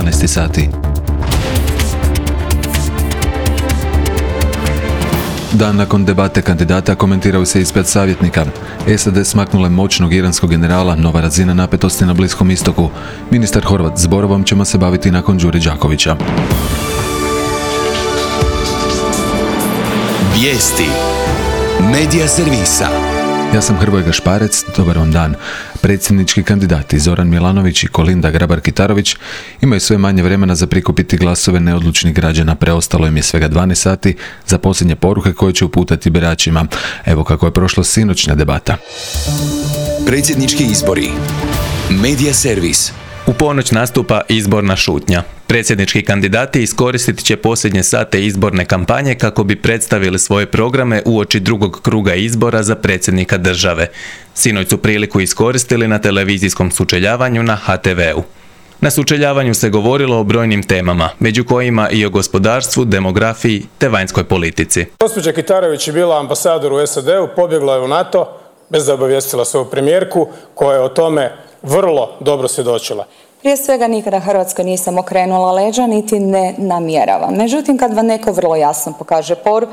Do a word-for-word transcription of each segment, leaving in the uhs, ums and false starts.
dvanaest sati. Dan nakon debate kandidata komentiraju se ispred savjetnika. S A D smaknule moćnog iranskog generala, nova razina napetosti na Bliskom istoku. Ministar Horvat s Borovom ćemo se baviti nakon Đure Đakovića. Vijesti Medija servisa. Ja sam Hrvoje Gašparec, dobar vam dan. Predsjednički kandidati Zoran Milanović i Kolinda Grabar-Kitarović imaju sve manje vremena za prikupiti glasove neodlučnih građana. Preostalo im je svega dvanaest sati za posljednje poruke koje će uputati biračima. Evo kako je prošla sinoćna debata. Predsjednički izbori. Medija servis. U ponoć nastupa izborna šutnja. Predsjednički kandidati iskoristit će posljednje sate izborne kampanje kako bi predstavili svoje programe uoči drugog kruga izbora za predsjednika države. Sinoć su priliku iskoristili na televizijskom sučeljavanju na H T V-u. Na sučeljavanju se govorilo o brojnim temama, među kojima i o gospodarstvu, demografiji te vanjskoj politici. Gospođa Kitarović je bila ambasador u S A D-u, pobjegla je u NATO, bez da obavijestila svoju premijerku, koja je o tome vrlo dobro svjedočila. Prije svega nikada Hrvatskoj nisam okrenula leđa, niti ne namjeravam. Međutim, kad vam neko vrlo jasno pokaže por,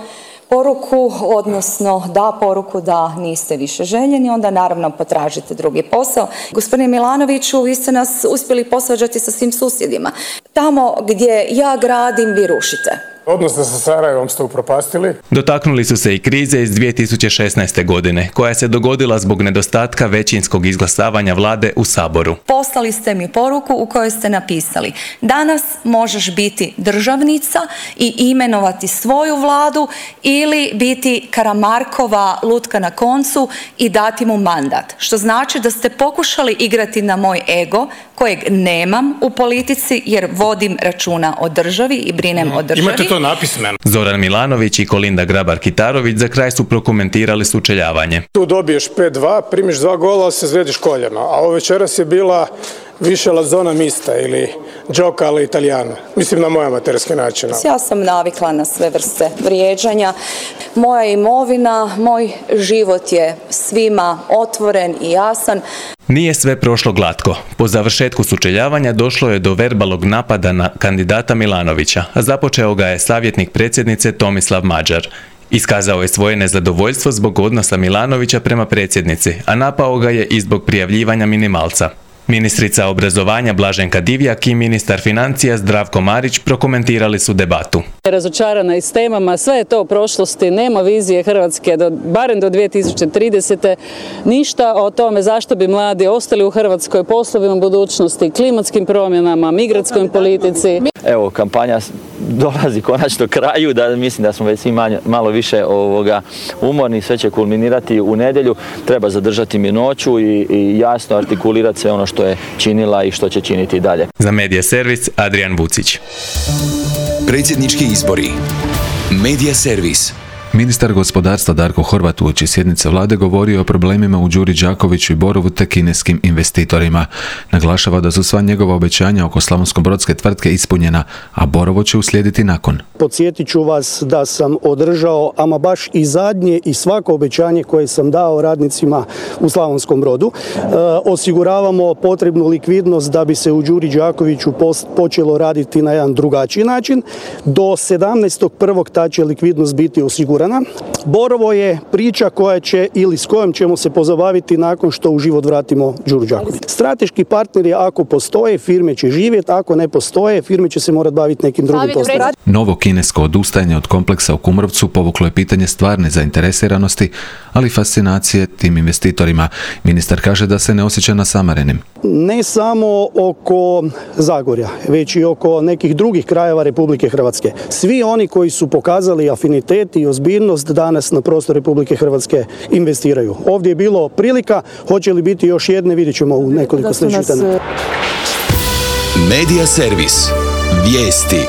poruku, odnosno da poruku da niste više željeni, onda naravno potražite drugi posao. Gospodine Milanoviću, vi ste nas uspjeli posvađati sa svim susjedima. Tamo gdje ja gradim, vi rušite. Odnosno sa Sarajevom ste upropastili. Dotaknuli su se i krize iz dvije tisuće šesnaeste. godine, koja se dogodila zbog nedostatka većinskog izglasavanja vlade u Saboru. Poslali ste mi poruku u kojoj ste napisali: danas možeš biti državnica i imenovati svoju vladu ili biti Karamarkova lutka na koncu i dati mu mandat. Što znači da ste pokušali igrati na moj ego, kojeg nemam u politici jer vodim računa o državi i brinem o državi. Imate to napismeno. Zoran Milanović i Kolinda Grabar-Kitarović za kraj su prokomentirali sučeljavanje. Tu dobiješ pet dva, primiš dva gola, ali se zvediš koljeno. A ovo večeras je bila više la zona mista ili gioca all'italiana. Mislim na moj amaterski način. Ja sam navikla na sve vrste vrijeđanja. Moja imovina, moj život je svima otvoren i jasan. Nije sve prošlo glatko. Po završetku sučeljavanja došlo je do verbalnog napada na kandidata Milanovića, a započeo ga je savjetnik predsjednice Tomislav Mađar. Iskazao je svoje nezadovoljstvo zbog odnosa Milanovića prema predsjednici, a napao ga je i zbog prijavljivanja minimalca. Ministrica obrazovanja Blaženka Divjak i ministar financija Zdravko Marić prokomentirali su debatu. Razočarana i s temama, sve je to u prošlosti, nema vizije Hrvatske, do, barem do dvije tisuće tridesete. Ništa o tome zašto bi mladi ostali u Hrvatskoj, poslovima budućnosti, klimatskim promjenama, migratskoj politici. Evo, kampanja dolazi konačno kraju, da mislim da smo već svi manje, malo više ovoga umorni, sve će kulminirati u nedjelju. Treba zadržati mirnoću i, i jasno artikulirati sve ono što je činila i što će činiti dalje. Za Medija servis Adrian Vucić. Predsjednički izbori. Medija servis. Ministar gospodarstva Darko Horvat uoči sjednice vlade govorio o problemima u Đuri Đakoviću i Borovu te kineskim investitorima. Naglašava da su sva njegova obećanja oko slavonsko-brodske tvrtke ispunjena, a Borovo će uslijediti nakon. Podsjetit ću vas da sam održao ama baš i zadnje i svako obećanje koje sam dao radnicima u Slavonskom Brodu. E, osiguravamo potrebnu likvidnost da bi se u Đuri Đakoviću počelo raditi na jedan drugačiji način. Do sedamnaestog prvog ta će likvidnost biti osigurana. Borovo je priča koja će ili s kojom ćemo se pozabaviti nakon što u život vratimo Đuru Đaković. Strateški partneri ako postoje, firme će živjeti, ako ne postoje, firme će se morati baviti nekim drugim poslom. Novo kinesko odustajanje od kompleksa u Kumrovcu povuklo je pitanje stvarne zainteresiranosti, ali i fascinacije tim investitorima. Ministar kaže da se ne osjeća nasamarenim. Ne samo oko Zagorja, već i oko nekih drugih krajeva Republike Hrvatske. Svi oni koji su pokazali afinitet i ozbiljnost danas na prostor Republike Hrvatske investiraju. Ovdje je bilo prilika, hoće li biti još jedne, vidjet ćemo u nekoliko sljedećih dana. Medija servis. Vijesti.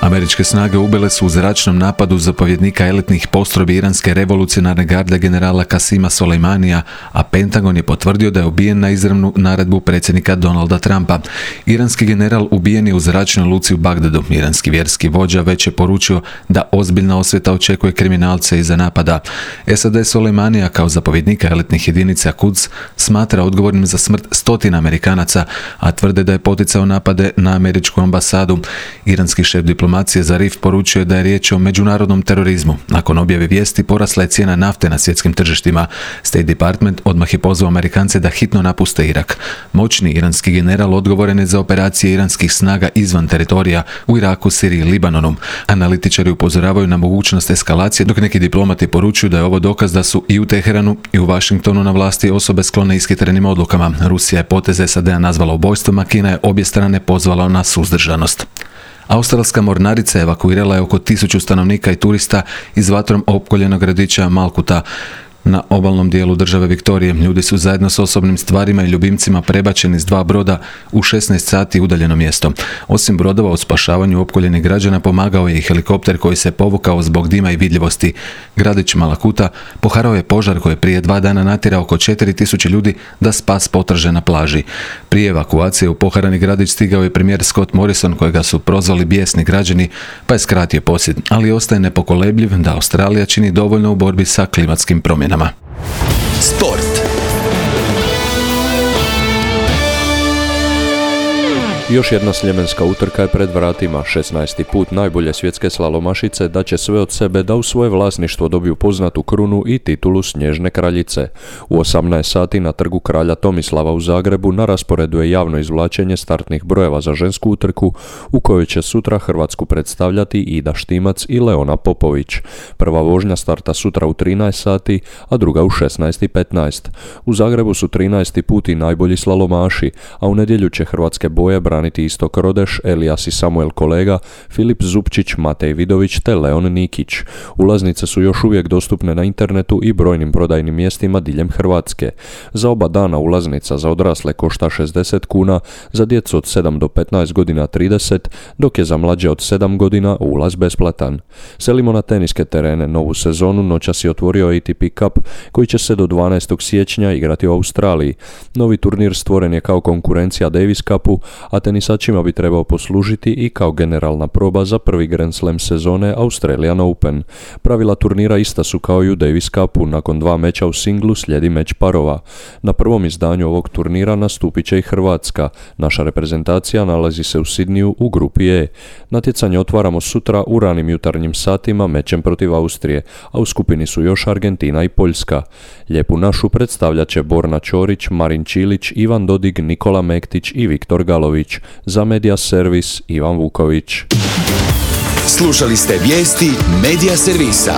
Američke snage ubile su u zračnom napadu zapovjednika elitnih postrojbi iranske revolucionarne garde generala Kasima Soleimanija, a Pentagon je potvrdio da je ubijen na izravnu naredbu predsjednika Donalda Trumpa. Iranski general ubijen je u zračnoj luci u Bagdadu. Iranski vjerski vođa već je poručio da ozbiljna osveta očekuje kriminalce iza napada. S A D Soleimanija kao zapovjednika elitnih jedinica Quds smatra odgovornim za smrt stotina Amerikanaca, a tvrde da je poticao napade na američku ambasadu. Iranski šef diplomacije Zarif poručio da je riječ o međunarodnom terorizmu. Nakon objave vijesti porasla je cijena nafte na svjetskim tržištima. State Department odmah je pozvao Amerikance da hitno napuste Irak. Moćni iranski general odgovoren je za operacije iranskih snaga izvan teritorija u Iraku, Siriji i Libanonu. Analitičari upozoravaju na mogućnost eskalacije, dok neki diplomati poručuju da je ovo dokaz da su i u Teheranu i u Washingtonu na vlasti osobe sklone ishitrenim odlukama. Rusija je poteze S A D-a nazvala ubojstvom, a Kina je obje strane pozvala na suzdržanost. Australska mornarica evakuirala je oko tisuću stanovnika i turista iz vatrom opkoljenog gradića Malkuta na obalnom dijelu države Viktorije. Ljudi su zajedno s osobnim stvarima i ljubimcima prebačeni s dva broda u šesnaest sati udaljeno mjesto. Osim brodova u spašavanju opkoljenih građana pomagao je i helikopter koji se povukao zbog dima i vidljivosti. Gradić Malakuta poharao je požar koji je prije dva dana natjerao oko četiri tisuće ljudi da spas potraže na plaži. Prije evakuacije u poharani gradić stigao je premijer Scott Morrison, kojega su prozvali bijesni građani, pa je skratio posjet, ali ostaje nepokolebljiv da Australija čini dovoljno u borbi sa klimatskim promjenama. Sport. Još jedna sljemenska utrka je pred vratima. šesnaesti put najbolje svjetske slalomašice daće sve od sebe da u svoje vlasništvo dobiju poznatu krunu i titulu Snježne kraljice. U osamnaest sati na trgu kralja Tomislava u Zagrebu na rasporedu je javno izvlačenje startnih brojeva za žensku utrku u kojoj će sutra Hrvatsku predstavljati Ida Štimac i Leona Popović. Prva vožnja starta sutra u trinaest sati, a druga u šesnaest i petnaest. U Zagrebu su trinaesti put i najbolji slalomaši, a u nedjelju će hrvatske boje braniti Istok Rodeš, Elijas i Samuel Kolega, Filip Zupčić, Matej Vidović te Leon Nikić. Ulaznice su još uvijek dostupne na internetu i brojnim prodajnim mjestima diljem Hrvatske. Za oba dana ulaznica za odrasle košta šezdeset kuna, za djecu od sedam do petnaest godina trideset, dok je za mlađe od sedam godina ulaz besplatan. Selimo na teniske terene. Novu sezonu noćas je otvorio A T P Cup koji će se do dvanaestog siječnja igrati u Australiji. Novi turnir stvoren je kao konkurencija Davis Cupu, a tenisačima bi trebao poslužiti i kao generalna proba za prvi Grand Slam sezone Australian Open. Pravila turnira ista su kao i u Davis Cupu. Nakon dva meča u singlu slijedi meč parova. Na prvom izdanju ovog turnira nastupit će i Hrvatska. Naša reprezentacija nalazi se u Sidniju u grupi E. Natjecanje otvaramo sutra u ranim jutarnjim satima mečem protiv Austrije, a u skupini su još Argentina i Poljska. Lijepu našu predstavljat će Borna Ćorić, Marin Čilić, Ivan Dodig, Nikola Mektić i Viktor Galović. Za Media Servis Ivan Vuković. Slušali ste vijesti Media Servisa.